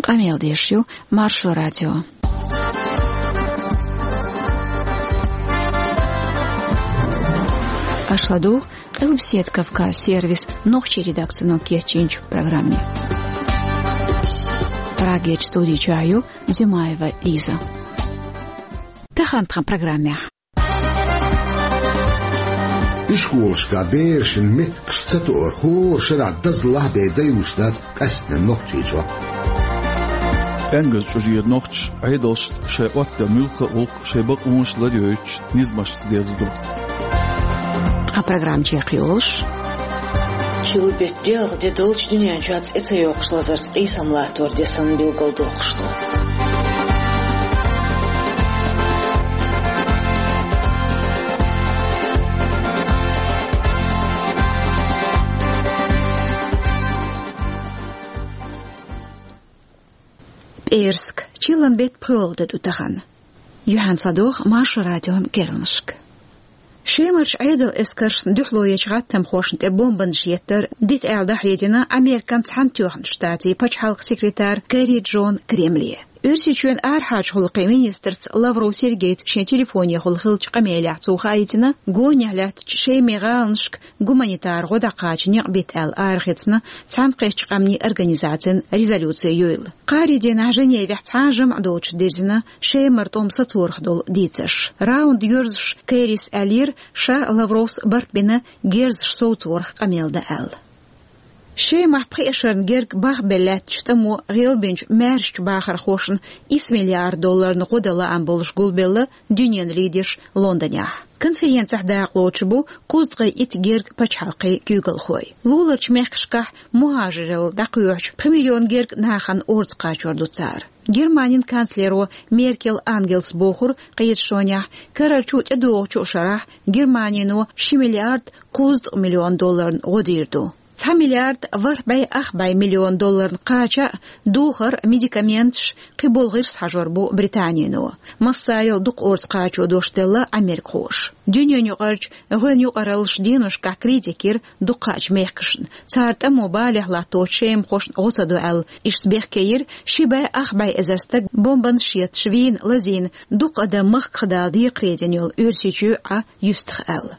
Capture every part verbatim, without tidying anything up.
Къамел деш ю Маршо радио. Аша ладугӀу Къилбаседа Кавказ сервисан нохчийн редакцино кечйинчу программе. Прагерчу студи чохь ю Зимаева Лиза. Тахана тхан программехь. Ишколашкахь берашна меттигаш ца тоар хӀора шарахь дазлахь бен дайуш дац къаьсттина Нохчийчохь. Къенгаза чӀожера нохчаша Ӏедалшна шайн Ӏоттаделла муьлхха а гӀуллакх шайн бакъонаш ларйойтуш низамашца дерзадо. Тхан программа чекхйолуш. Ши беттан делгӀа де долчу дуьнен чохь цӀе ца йоккхуш лазарца къийсам латтор де санна билгалдоккхуш ду. ПӀераска, чиллан беттан пхоьалгӀа де ду тахана. Юьхьанца ладогӀа Маршо радион керланашка. Шемарчу Ӏедалан эскаршна дуьхьало ечу гӀаттамхошна тӀе бомбанаш еттар дита аьлла дӀахьедина Американ Цхьаьнатоьхначу Штатийн пачхьалкхан секретарь Керри Джона Кремле. Оьрсийчоьнан арахьарчу гӀуллакхийн министрца Лавров Сергейца шен телефонехула хиллачу къамелехь цо хаийтина, гонехь лаьттачу Шеман гӀаланашка гуманитар гӀо дӀакхача некъ бита аьлла арахецна Цхьаьнакхеттачу Къаьмнийн Организацин резолюци юйла. Кхаарин дийнахь Женевехь цхьа а жамӀ доцуш дирзина Шемара тӀом сацорах долу дийцарш. Раунд йоьрзуш Керрис аьллера, ша Лавровс барт бина герзаш совцорах къамел дан аьлла. Шемахь пхи эшарна герга бахбелла лаьттачу тӀамо гӀелбинчу маьршачу бахархошна исс миллиард долларна гӀо дан лаам болуш гулбелла дуьненан лидерш Лондонехь. Конференцехь дакъалоцуш бу кхузткъе итт герга пачхьалкхийн куьйгалхой. Луларчу мехкашкахь мухӀажиралла дӀакхоьхьучу пхи миллион герга нахана орца кхачор ду цара. Германин канцлеро Меркель Ангелас бохура кхеташонехь, карарчу тӀедогӀучу шарахь Германино ши миллиард кхузткъа миллион долларна гӀо дийр ду. Цхьа миллиард ворхӀ бӀе ах бӀе миллион долларна кхача а, духар, медикаменташ, кхин болу гӀирс хьажор бу Британино. Массарел дукха орца кхачо дош делла америкахоша. Дуьненаюкъарчу гӀоьнан юкъараллаш деношкахь критика йира дукхачу мехкашна, цара тӀамо балехь латточу шемахошна гӀо ца до аьлла, иштта бехке йира ши бӀе ах бӀе эзар стаг бомбанаш етташ вийна, лазийна, дукха адам махках дала декхаре дина йолу Оьрсийчоь а юьстах аьлла.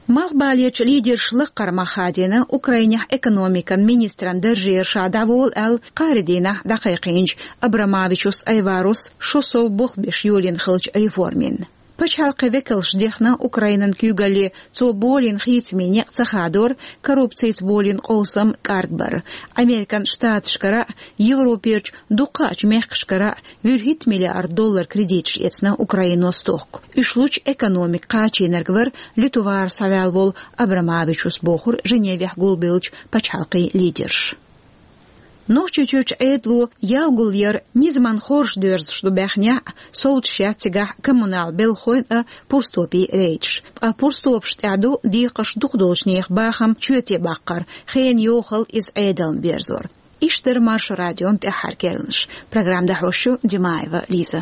Малхбалерчу лидерша лаккхара мах хадийна Украинехь экономикан министран даржера ша дӀаволу аьлла кхаарин дийнахь дӀакхайкхийначу Абрамавичус Айварус шо сов болх беш йолийна хиллачу реформин. Пачхьалкхийн векалша дехна Украинан куьйгалле цо болийна хийцамийн некъ ца хадор, коррупцица болийна къовсам кӀаргбар. Американ Штаташкара а, Европерчу дукхачу мехкашкара а вуьрхӀитта миллиард доллар кредиташ эцна Украино стохка. Уьш лучу экономика кхачийнарг вара луьту вара схьаваьлла волу Абрамавичус, бохура Женевехь гулбеллачу пачхьалкхийн лидерша. Нохчийчуьрчу Ӏедало ял гулъяр низаман хоржуш доьрзуш ду баьхнехь а, совцуш яц цигахь коммунал белхалойн а, пурстопийн рейдаш. Ткъа пурстопашна тӀехь ду декхарш дукха долчу нехан бахам чоьте баккхар, хенан йохалла иза Ӏедална берзор. Иштта дара Маршо радион тӀаьххьара керланаш. Программа дӀахьош ю Димаева Лиза.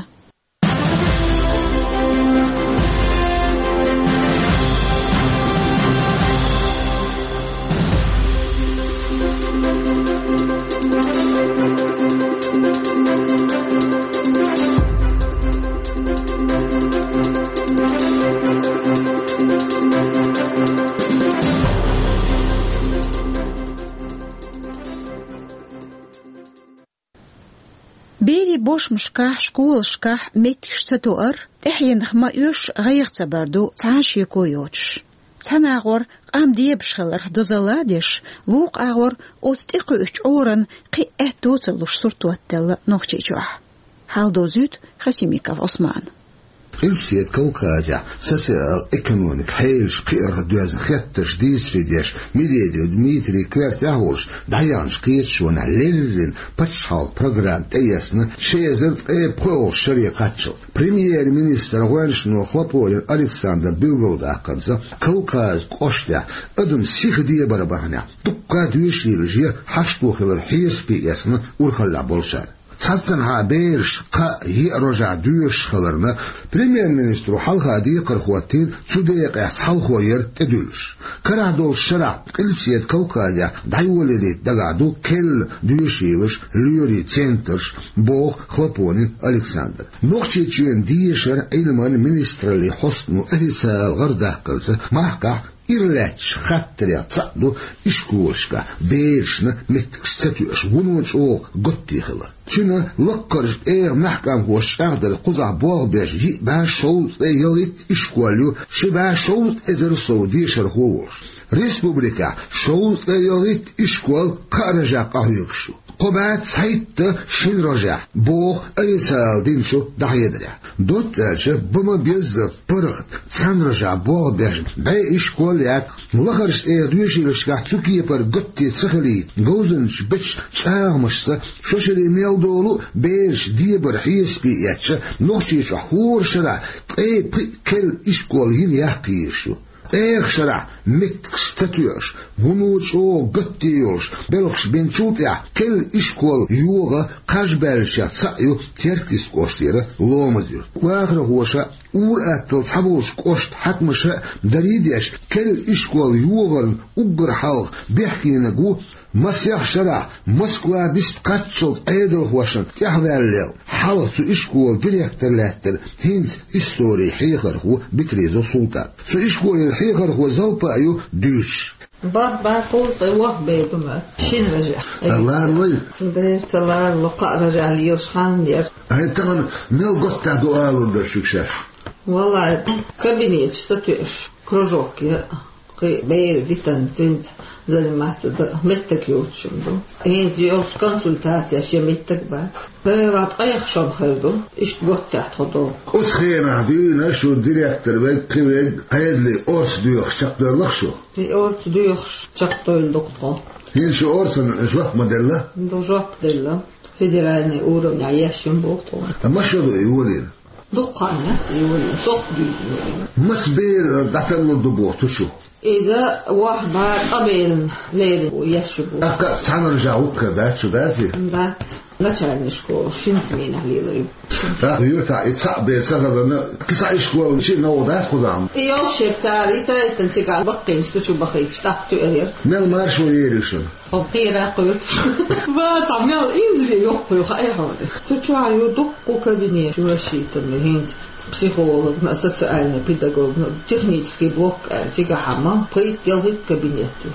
Берийн бошмашкахь, школашкахь меттигаш ца тоар, тӀаьхьенах ма оьшу, гӀайгӀа ца бар ду цхьа а шеко йоцуш. Цхьана агӀор къам дебаш хиларх дозалла а деш, вукху агӀор оцу тӀекхуьучу чкъуран кхин а аьтто а ца луш сурт оттаделла Нохчийчохь. Хьал дозуьйту Хасимиков Ӏусмана. Къилбаседа Кавказехь социал-экономикан хьелаш кхиарх доьзна хеттарш дийцаре деш, Медведев Дмитрий коьртехь а волуш, дӀаяьхначу кхеташонехь леррина пачхьалкхан программа тӀеэцна ши эзар ткъе пхоьалгӀачу шаре кхаччалц. Премьер-министран гӀоьнчано Хлопонин Александра билгалдаккхарца, Кавказан кӀоштехь адам сиха дебаран бахьанехь дуккха а доьшийлаш я хьашто хилар хьесапе эцна урхаллехь болчара. Цхьаццанхьа бераш кхаа-йиъ рожехь доьшуш хиларна, премьер-министро хьалха декхар хӀоттийна цу декъехь цхьалхо яр тӀедуьллуш. Карахь долчу шарахь Къилбаседа Кавказехь дӀайолаялийта дагахь ду керла доьшийлаш, лоьрийн центраш, боху Хлопонин Александра. Нохчийчоьнан дешаран, Ӏилманан министраллин хьостано официалан гӀарадаккхарца, махкахь ира лаьтташ хаттарех цхьаъ ду ишколашкахь берашна меттигаш ца тоьуш, вуно чӀогӀа готте хилар. Цуьнан лаккхарчу тӀегӀан мехкамхоша чӀагӀдарца, кхузахь болх беш йиъ бӀе шовзткъе ялхитта ишкол ю, ши бӀе шовзткъа эзар сов дешархо волуш. Республикехь шовзткъе ялхитта ишкол кхаа рожехь къахьоьгуш ю. Кхо бӀе цхьайтта шина рожехь, боху официалан динчу дӀахьедарехь. Доцца аьлча, бан ма беззара паргӀат, цхьана рожехь болх беш бӀе ишкол яц. Лахарчу тӀегӀан доьшийлашкахь цу кепара готте ца хилийта, говзанчаша бечу чӀагӀамашца, шо шаре мел долу а бераш дебар хьесапе эцча, Нохчийчохь хӀора шарахь ткъе пхиъ керла ишкол йина яккха езаш ю. ТӀехьа шарахь меттигаш ца тоьуш, вуно чӀогӀа готте йолуш белхаш бинчул тӀаьхьа керла ишкол йогӀан кхаж баьллашех цхьаъ ю Теркйист кӀоштара Ломаз-Юрт. Вахархоша, ур-атталла цхьаболчу кӀоштан хьаькамаша дарий деш, керла ишкол йогӀарна уггар хьалха бехкениг ву масех шарахь Москва дист кхаччалц Ӏедалхошна тӀаьхьаваьлла. Хьалха цу ишколан директор лаьттара хӀинца историн хьехархо Битриезов Султан. Цу ишколера хьехархо Залпа а ю дуьйцуш. Бархьа бӀе кхузткъе ворхӀ бер ду ма шина рожехь. Ларлой? Дера ца ларло, кхаа рожехь лелаш хан яра. Ай, тахана мел готта ду алур дара шуьга шаьш? Валлай, кабинеташ ца тоьуш, кружок я. Кхин бераш дитина цуьнца заниматься дан меттиг йоцуш ду. ХӀинца йолчу консультацеш я меттиг бац. Бевлла ткъех шо хир ду, иштта готта тхо долу. Оцу хенахь дуьйна шу директор верг, кхин верг, Ӏедале орца доьхуш чекхдоьллу-кх шу? И орца доьхуш чекхдевлла ду-кх тхо. ХӀинца шу орцана жоп ма делла? Ду, жоп делла. Федеральный уровнехь еш ю боху тхуна. Ткъа масса шо ду и йолийна? Дуккха хан яц и йолийна, сох дуьйна йолийна. Масса бер дӀаталлур ду боху цу чу? Иза ворхӀ бӀе ткъа берна лерина еш ю боху. ТӀаккха цхьана рожехь хӀуттур дац шу, дац и? Дац. Начальный школа шина сменехь лелар ю. ТӀаккха юьртахь и цхьаъ бер ца хиларна, кхин цхьа ишкол чу а новкъа дац кхузахь? И йолуш яра цара, и тайпана цигахь баккхийнаш цу чу бахийташ, тӀаккха тоьар яра. Мел маршо ери шуна? Хьо кхера кхуьйтуш. Ва, цхьа мел инзаре йоккхуьйту, хьо, хьо. Цу чохь ю дуккха кабинет, ю рассчитанный хӀинца. Психологна а, социальный педагогна а, технический блок аьлла, цигахь ма пхийтта-ялхитта кабинет ю.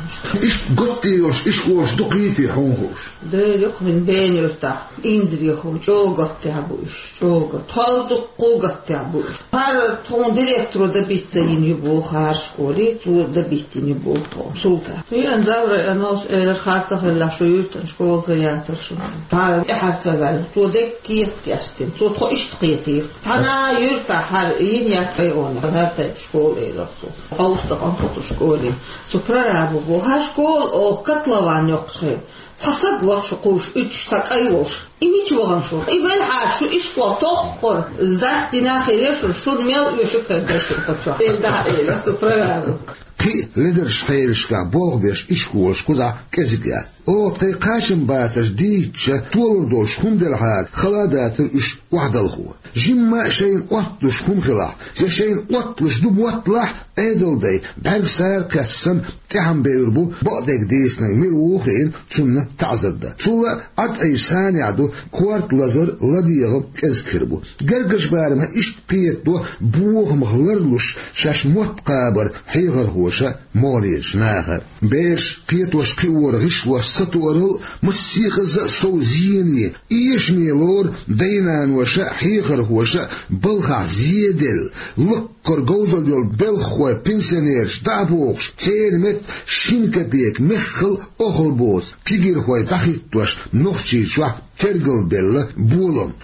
Иштта готта йолуш ишколаш дукха йитий хьуна хууш? Дера, ю-кх хӀинца Бена-Юьртахь, инзаре хӀума, чӀогӀа готта бу уьш. ЧӀогӀа. Тхол дуккха гаттехь бу. ХӀара тхуна директоро добиться йина ю боху хӀара школе, цо добиться йина ю боху тхуна. Султан. Йиъан Заврой Амалс элира, хӀара ца хилла шу юьртан школа хир яцара шуна. ХӀара тӀаьхьара ца ваьлла. Цо дерриг кехат кечдина. Цо тхо иштта кхетийра. Цхьана юьртахь хӀара йина яц айона. ХӀара тайпа школа элира цо. Хьовса дакъа кху школе. Цу прорабу боху. ХӀара школа оха котлован йоккхуш хир. Цхьа саг вахча кхуш, уьдуш цхьа кӀай волуш. И мича вахана шу? И велхьара шу иштта тоххура, сдать дина хир яра шуна, шуна мел оьшург хир дара шуна кху чохь. Эл дахьа элира цу прорабу. Кхин а ледарш хьелашкахь болх беш ишколаш кхузахь кӀезиг яц. Оха тхайн кхачамбатарш дийцича, толур долуш хӀума делахьара, хала а дацара уьш охьадалхо. Жимма а шайна отталуш хӀума хилахь, я шайна отталуш ду мотталахь, Ӏедалдай бӀаьргсара кхетта санна, тӀаьхьа бевр бу, бакъдерг дийцинарг мила ву хиъна, цунна таӀзар дан. Цул а Ӏад Ӏийша санехь ду, корта лазар, ладегӀа кӀезиг хир бу. Гергарчу барамехь иштта кхетадо бохамах ларлуш шаьш мотт кхабар хьехархоша, могӀарерчу наха. Бераш кхетош-кхиоран гӀишлош сатоарал а, массехаза а сов зене, эшаме лору дай-наноша а, хьехархоша а балхахь зеделла, лаккхара говзалла йолу белхахой, пенсионераш дӀа а бохуш, церан метта шина капека меххал а охьалбоцу кегийрхой дӀахӀиттош Нохчийчохь тергалбелла болам.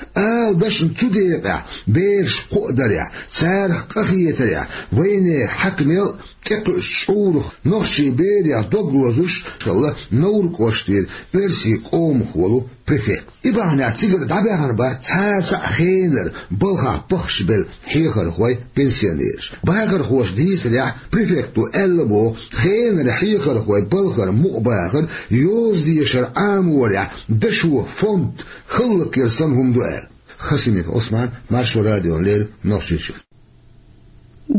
Дашна цу декъехь бераш кхоадарехь, царах къахетарехь, вайнехан хьаькамел тӀекхуьучу чкъурах нохчийн берех дог лозуш хилла Невран кӀоштара оьрсийн къомах волу префект. И бахьанехь цигара дӀабаьхна бац цхьацца а хенара балхахь пахчабелла хьехархой, пенсионераш. Бахархоша дийцарехь, префекто аьлла боху, хенара хьехархой балхара мукъабахар йоза дешар Ӏаморехь дашо фонд хӀаллакьяр санна хӀума ду аьлла. Хасимиков Ӏусман, Маршо радиона леррина, Нохчийчоь.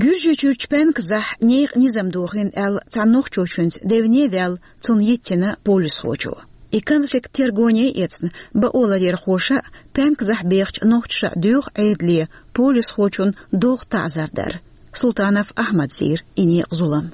Гуьржийчуьрчу Панказахь некъан низам дохийна аьлла, цхьана нохчочуьнца девне а ваьлла, цунна йиттина полисхочо. И конфликт тергоне а эцна, бакъоларъярхоша а, Панказахь бехачу нохчаша а доьху Ӏедале полисхочунна догӀу таӀзар дар. Султанов Ахьмада сийра и некъан зулам.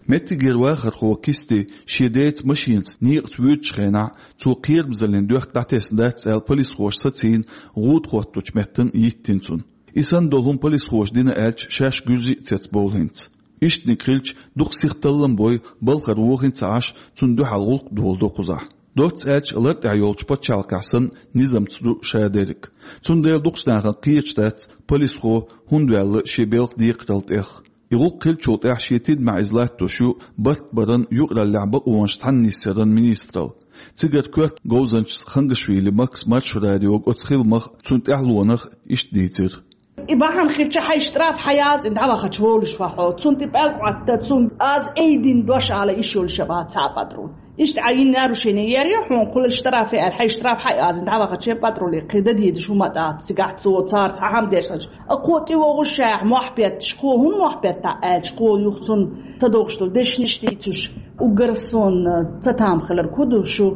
Меттигера вахархо Кисти шен деца машенаца некъаца воьдучу хенахь, цо кхерамзаллин доьхка дӀатесна дац аьлла, полисхоша сацийна, гӀуда хӀоттучу меттана йиттина цунна. И санна долу хӀума полисхоша дина аьлча, шаьш гуьржий а цецбовлу хӀинца. Иштаниг хилча, дукха сиха таллам бой, балхара вохийна а ца Ӏаш, цунна дуьхьал гӀуллакх долу ду кхузахь. Доцца аьлча, лар тӀехь йолчу пачхьалкхехь санна, низамца ду ша дерриг. Цундела дукхачу нахана кхеташ дац, полисхо хӀунда ваьлла шен белхан декхаралла тӀех. И гӀуллакх хиллачул тӀаьхьа шен тидамехь иза латтош ю барт баран юкъараллехь бакъонаш цхьаьнисъяран министралла. Цигара коьрта говзанчас Хангашвили Макса Маршо радиога оцу хиламах а, цуьнан тӀаьхьалонах а иштта дийцира. И бахьана хилча, хьайн штраф хьаяза, и дӀавахача волуш ван хьо. Цунна тӀе пӀелг Ӏотта, цунна аз айдина дош ала йиш йолуш а бац цхьа а патруль. Иштта Ӏа йина нарушение яр я хьуна, кхуллуш штрафе аьлла, хьайн штраф хьаяза, и дӀавахача патруле кхин дан дезаш хӀума а дац, цигахь цо цара цхьа хӀума деш санча. А кхо тӀе вогӀуш шаьхьа мохь петташ, кхо хӀун мохь петта аьлча, кхо юха цунна ца догӀуш долу дешнаш дийцуш, уггар сонна ца там хилар ку ду шу,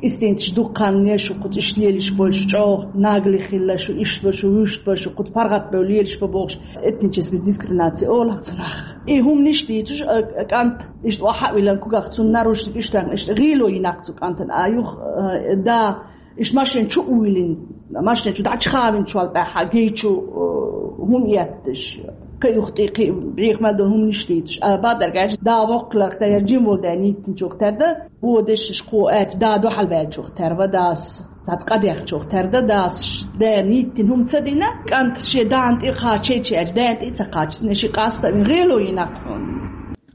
кӀистинцаш дуккха хан шу кху цӀиш лелаш болуш, чӀогӀа нагали хилла шу, иштта бо шу, вуьшта бо шу, кху паргӀат бевлла лелаш бо бохуш, этническая дискриминация олу цунах. И хӀуманаш дийцуш, а, а, кӀант иштта охьа а вилан кугах цунна нарушник иштта, иштта гӀело йинакх цу кӀантана, а юха, а, да, иштта машен чу а вуьйлина, машен чу дӀачхавинчул тӀаьхьа гечу, э, хӀума етташ, кхин юха тӀе, кхин бӀеха мел долу хӀуманаш дийцуш. А, бадарг аьлча, да воккхаларх тера, жим волу даьна йиттинчух тера дан, вон дешнаш кхо аьлча, да дуьхьал ваьллачух тера ван, дас цхьацца къадехначух тера дан, дас даьна йиттина хӀума ца дина, кӀант шен дана тӀе кхача чечи аьлча, даьна тӀе а ца кхача, ши къаста а вина гӀело йинакх хьуна.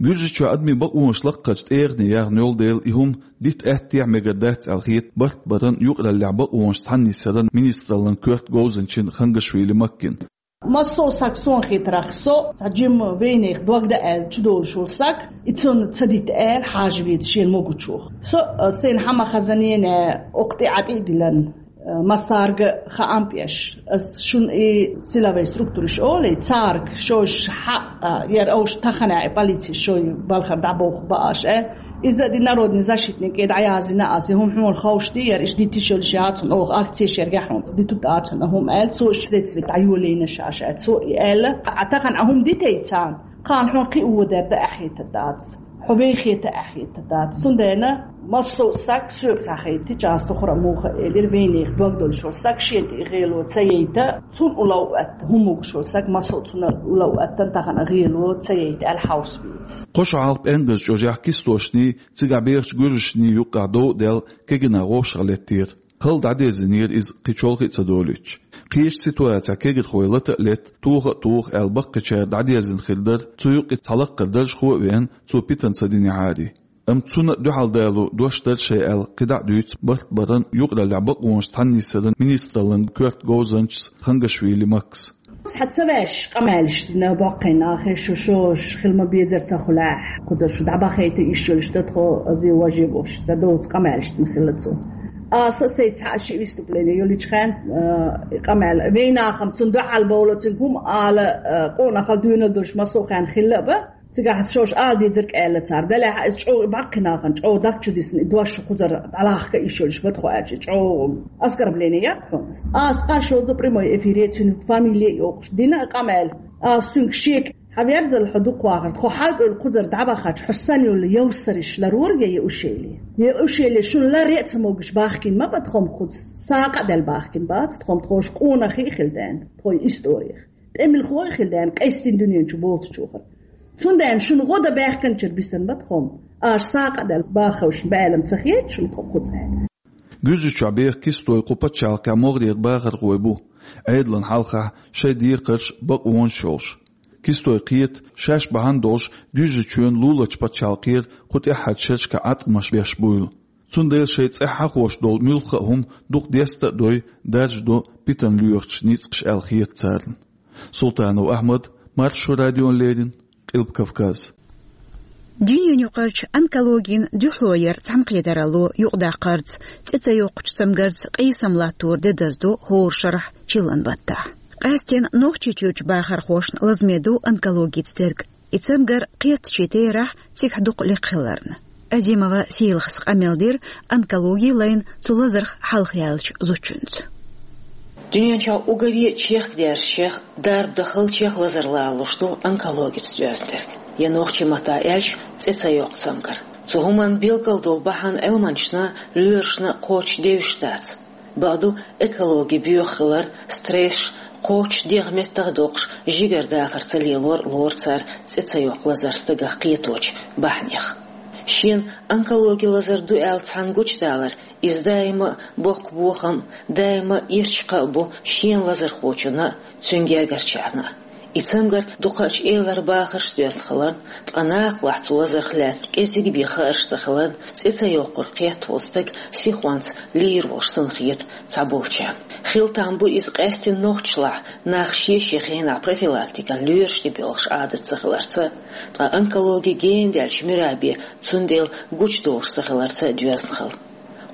Гуьржийчохь адамийн бакъонаш лакхарчу тӀегӀане яхна йолу дела, и хӀума дита аьттехьа мегар дац аьлла хета барт баран юкъараллехь бакъонаш цхьаьнисъяран министраллан коьрта говзанчин Хангашвили Маккин. Массо а саг, суна хетарехь, со цхьа жимма вайнехан дог дан аьлла чудолуш волу саг, и цунна ца дита аьлла хьажа веза шена могучух. Со, а, сайна хьан ма хазанене окху тӀе Ӏа тӀе а дилан, а, массаьрга хаам беш. Ас шуна и силовой структураш олий, царга шош хьа, а, яра овш тахана и полици шой балхара дӀабоху бааш, э? Иза а ди народный защитник кӀе дӀаязйина ас, и хӀума хьуна ховш ди, яра иштта дитиш йолуш яц хьуна, оха акцеш яргахь хьуна, дитут дац хьуна хӀума аьлла, цо шеца ве дӀайолийна шаьш аьлла, цо и аьлла, а тахана а хӀума дитей царна, кхана хьуна кхин а водар дан ахьийтар дац, хьо вехета ахьийтар дац. Цундела массо а саг соьга схьахайтича, ас тухура муха элира, вайнехан дог долуш волу саг шен тӀе гӀело ца яйта, цунна улов а атта, хӀума могуш волу саг массо а цунна улов а атта, тахана гӀело ца яйта аьлла хьовса веза. Кхо шо хьалха ПӀенгазчӀожехь кистошний, цигахь бехачу гуьржашний юккъехь дов а даьлла, кегина вовшах леттера. Хала дӀадерзинера иза кхин чолхе а ца долуьйтуш. Кхечу ситуацехь кегирхой лата а летта, тоха а тоха аьлла, баккхийчара дӀадерзина хир дара, цу юккъе цхьа лаккхара даржхо а веана, цо питана ца динехьарий. Амма цунна а дуьхьал дало дош дара шайн аьлла, кхидӀа а дуьйцу барт баран юкъараллехь бакъонаш цхьаьнисъяран министраллан коьрта говзанчас Хангашвили Макса. Цхьа ца ваьш къамаьлаш дина боккхий нахе, шу шош хила ма безара ца хуьлахь, кхузара шу дӀабахийта йиш йолуш дан тхо, ази важе бохуш, ца доцу къамаьлаш дина хилла цо. Аса а, сайн цхьа а ши выступление йолуьйтуш хенахь, а, и къамел, вайнахана цунна дуьхьал бовла, цуьнга хӀума ала, а, къонахалла дуьйна долуш массо а хенахь хилла а бан, цигахь шош ала дезарг аьлла цара. Делахь а иза чӀогӀа баккхий нахана чӀогӀа дагчу дисна, и дош шу кхузара дӀалахка йиш йолуш бан тхо аьлча, чӀогӀа оскорбление яц хьуна. Аса къа шозза прямой эфире цуьнан фамилия а йохуш дина а къамел. Аса цуьнга шега Хьан верзал хьо дукха вахар, тхо хьалкӀуьйла кхузара дӀавахача, хьо санна йолу йовсарш ларора я Яушели? Яушели шуна ларре а ца могуш бахкина ма бан тхо-м кхуза, сагӀа а даьлла бахкина бац тхо-м, тхо-м къонахий а хилла даьнна, тхо-м историх. ТӀемалхой а хилла даьнна, къаьстина дуьнен чу боцучохара. Цундела шуна гӀо дан баьхкинчуьра бисина бан тхо-м, аша сагӀа а даьлла баххевшна баьлла-м ца хета шуна тхо кхуза аьлла. Гуьржийчохь беха кистой кху пачхьалкхехь могӀарера бахархой бу, Ӏедална хьалхахь шайн декхарш, бакъонаш йолуш. Кистой кхета, шаьш бахьана долуш Гуьржийчоьнан луларчу пачхьалкхера кху тӀаьххьарчу шерашкахь Ӏаткъамаш беш буйла. Цундела шайн цӀе хьахош долу муьлхха а хӀума дукха деста а дой, даржадо питана лоьхучу ницкъаша аьлла хета царна. Султанов Ахьмад, Маршо радиона леррина, Къилба Кавказ. Дуьненаюкъарчу онкологин дуьхьало яр цхьаьнакхетаралло юкъадаккхарца цӀе ца йоккхучу цамгарца къийсам латтор де даздо хӀора шарахь чиллан баттахь. Къаьсттина Нохчийчуьрчу бахархошна лазаме ду онкологица дерг. И цамгар кхеттачийн терахь цигахь дукха лекха хиларна. Азимова Сийлахас къамел дира онкологи лайна цу лазарх хьалха яьллачу зудчуьнца. Дуьнен чохь уггаре а чехкадаьржачех, дарба дахалчех лазар лоруш ду онкологица доьзна дерг. Я нохчийн маттахь аьлча, цӀе ца йоккху цамгар. Цу хӀуманна билггал долу бахьана Ӏилманчашна, лоьрашна кхочуш девзаш дац. Бакъду, экологи боьха хилар, стресс, кхочуш дегӀан меттах а доккхуш, жигара дахар ца лелор а лору цара цӀе ца йоккху лазар стагах кхеточу бахьанех. Шена онкологи лазар ду аьлла цхьаьна гучудалар, иза даима а боккха бохам а, даима а ирча кхаъ а бу шена лазархочунна а, цуьнан гергарчарна а. И цамгар дукхачу элара бахарш доьзна хиларна, ткъа нахалахь цу лазарх лаьцна кӀезиг бен хаарш ца хиларна, цӀе ца йоккхург кхетта волу стаг сихонца лийр волуш санна хета цхьаболчарна. Хила там бу иза къаьсттина нохчашлахь, нах шен-шен хенахь профилактикан лоьраш тӀе боьлхуш Ӏадат ца хиларца, ткъа онкологи гена даьлча муьра бен цундела гучудолуш ца хиларца а доьзна хила.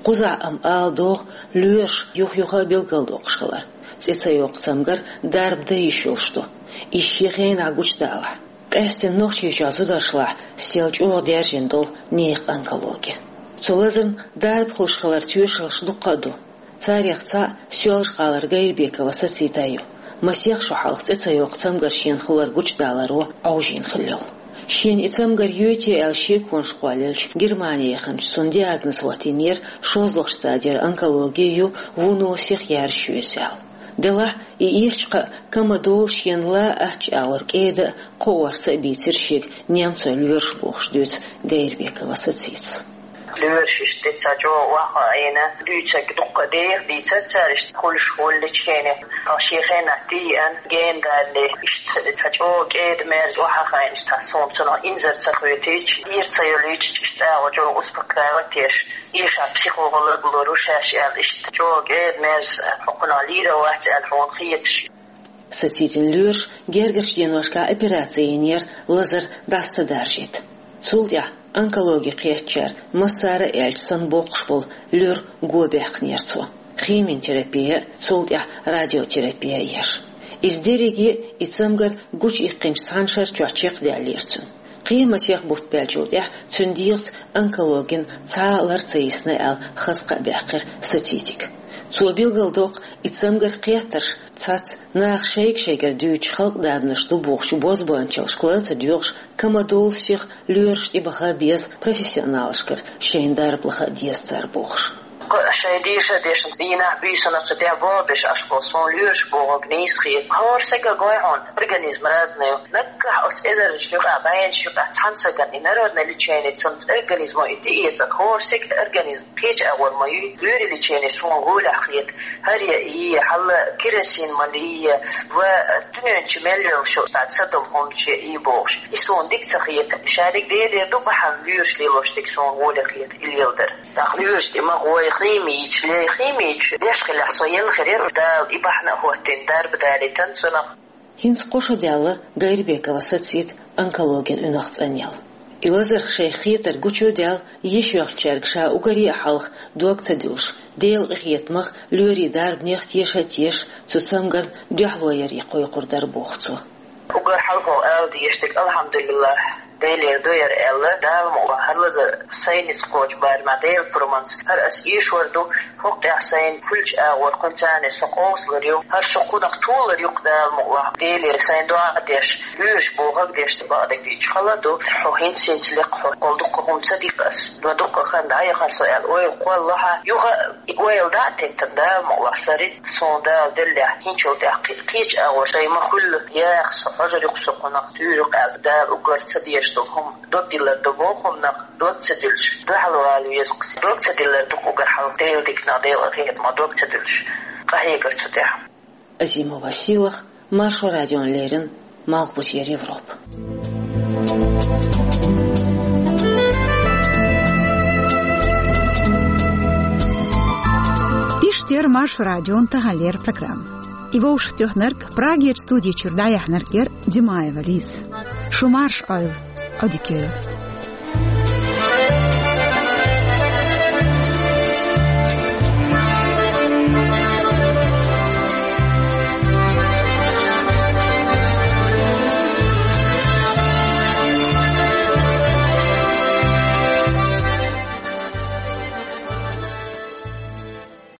Кхузахь амма ала догӀу лоьраш юх-юха а билгалдоккхуш хилар, цӀе ца йоккху цамгар дарба дан йиш йолуш ду, иза шен хенахь гучудалахь. Къаьсттина Нохчийчохь зударшлахь сел чӀогӀа даьржина долу некхан онкологи. Цу лазарна дарба хуьлуш хиларан тоьшаллаш дуккха а ду. Царех цхьаъ Соьлжа-ГӀалара Гайрбекова Сацита ю. Масех шо хьалха цӀе ца йоккху цамгар шена хилар гучудаларо Ӏовжийна хилла йолу. Шена и цамгар йойтий аьлла шеконаш кхоллаелча, Германи яханчу цунна диагноз хӀоттийнера шозлагӀчу стадера онкологи ю, вуно сиха яьржаш ю иза аьлла. Делахь, и ирча кхаъ кама долу шена ла аттачу агӀор кӀеда а, кхоорца а бийцира шега немцойн лоьраш бохуш дуьйцу Гайрбекова Сацитас. Лоьраш иштта цхьа чӀогӀа охьахиъна, дуьйцург дуккха а деха дийцира цара, иштта хуьлуш хӀолличхьене, тхо шен хенахь тӀееана, гена далале, иштта цхьа чӀогӀа кӀеда-мерза охьахиъна, иштта суна цунах инзар ца хьоьтуьйтуш, ира ца йолуьйтуш, иштта агӀо чӀогӀа успокаивать еш, эшахь психолог лоруш шаьш аьлла, иштта чӀогӀа кӀеда-мерза, хьо кхунах лийр а вац аьлла хьуна хеташ. Сацитин лоьраша гергарчу деношкахь операци йинера лазар дӀаса ца даржийта. Цул тӀаьхьа онкологи кхеттачара массара а аьлча санна боккхуш болу лоьра го баьккхинера цо. Химиотерапия а, цул тӀаьхьа радиотерапия а еш. Иза дерриге а и цамгар гучуиккхинчу цхьана шарчохь чекхдаьллера цуьнан. Кхин а масех бутт баьллачул тӀаьхьа цуьнан дегӀаца онкологин цхьа а лар ца йисна аьлла хаза кхаъ баьккхира Сацитига. Цо билгалдоккху, и цамгар кхеттарш цхьацца наха шайга-шайгара дуьйцуш халкъан дарбанаш ду бохучу бозбуунчаллашка ла ца доьгӀуш, кама долу сиха лоьраш тӀебаха беза профессионалашкара шайна дарба лаха а деза цара бохуш. Кху шайн деша а дешна, дийнахь, буьйсанна цу тӀехь боху беш Ӏаш болу суна лоьраш бохург нийса хета. ХӀора сага гой хьуна, организм разный ю. Наггахь оцу эзарнаш юкъахь, бӀеннаш юкъахь цхьана сагана и народное лечение цунна организмо и тӀеэцар. ХӀора сага организм кхечу агӀор ма ю, лоьрийн лечение суна гӀолехь хета. ХӀара е, хьала керосин ма ле, ва дуьнен чу мел йолуш йолу цхьа ца долу хӀуманаш е и бохуш. И суна дика ца хета. Шадерг Делера ду бахьана лоьраш лелош дика суна гӀоле хета и леладар. ТӀаккха лоьраш тӀе ма гӀой, химича лей, химича деш хилахь со елла хир яра, Дала и бахьана а хӀоттийна, дарба далийтина цунах. ХӀинца кхо шо даьлла Гайрбекова Сацита онкологин уьнах цӀанъелла. И лазарх шайх хетарг гучудаьлла, йиш йоьлхучаьрга ша уггаре а хьалха дог ца дуьллуш, Делан къинхетамах, лоьрийн дарбанех теша а тешаш, цу цамгарна дуьхьало ярий кхойкхур дара боху цо. Уггар хьалхо ала дезаш дерг, алхьамдулиллахӀ, Делера ду яра аьлла, Дала мукъалахь, хӀара лазар сайнца кхочу барамехь Делан пурбанца, хӀара ас эшор ду, хӀокху тӀехь сайна хуьлучу агӀор кхуьнца со къовсалур ю, хӀара со кхунах толур ю-кх Дала мукъалахь, Деле сайн доӀа а деш, лоьраш бохург а деш, бакъдерг дийцча хала а ду, хьо хӀинца-хӀинца лекха хьо, кхол дуккха хӀума ца дика ас, ма дуккха хан дӀаяхана со аьлла, ойла кхоллалахь, юха а и ойла дӀа а теттина, Дала мукъалахь, са рицкъ суна Дала деллехь, хӀинцул тӀаьхьа кхи-, кхечу агӀор сайн ма хуьлла, яха со, хьожур ю-кх со кхунах, туьйр ю-кх аьлла, Дала уггар ца деза. Дог ца диллар ду бохум нах, дог ца диллаш, дуьхьал вала веза. Дог ца диллар ду угар хьал, Дела дикна, Дела хетма, дог ца диллаш. Къахьегар цу тӀехь. Азимова Сийлахь, Маршо радиона леррина, Малхбузера Европа. Иштта яра Маршо радион таханлера программа. И вовшахтоьхнарг, Прагерчу студи чуьра дӀаяьхьнарг яра Димаева Лиза. Шу марша Ӏойла, Ӏодика йойла.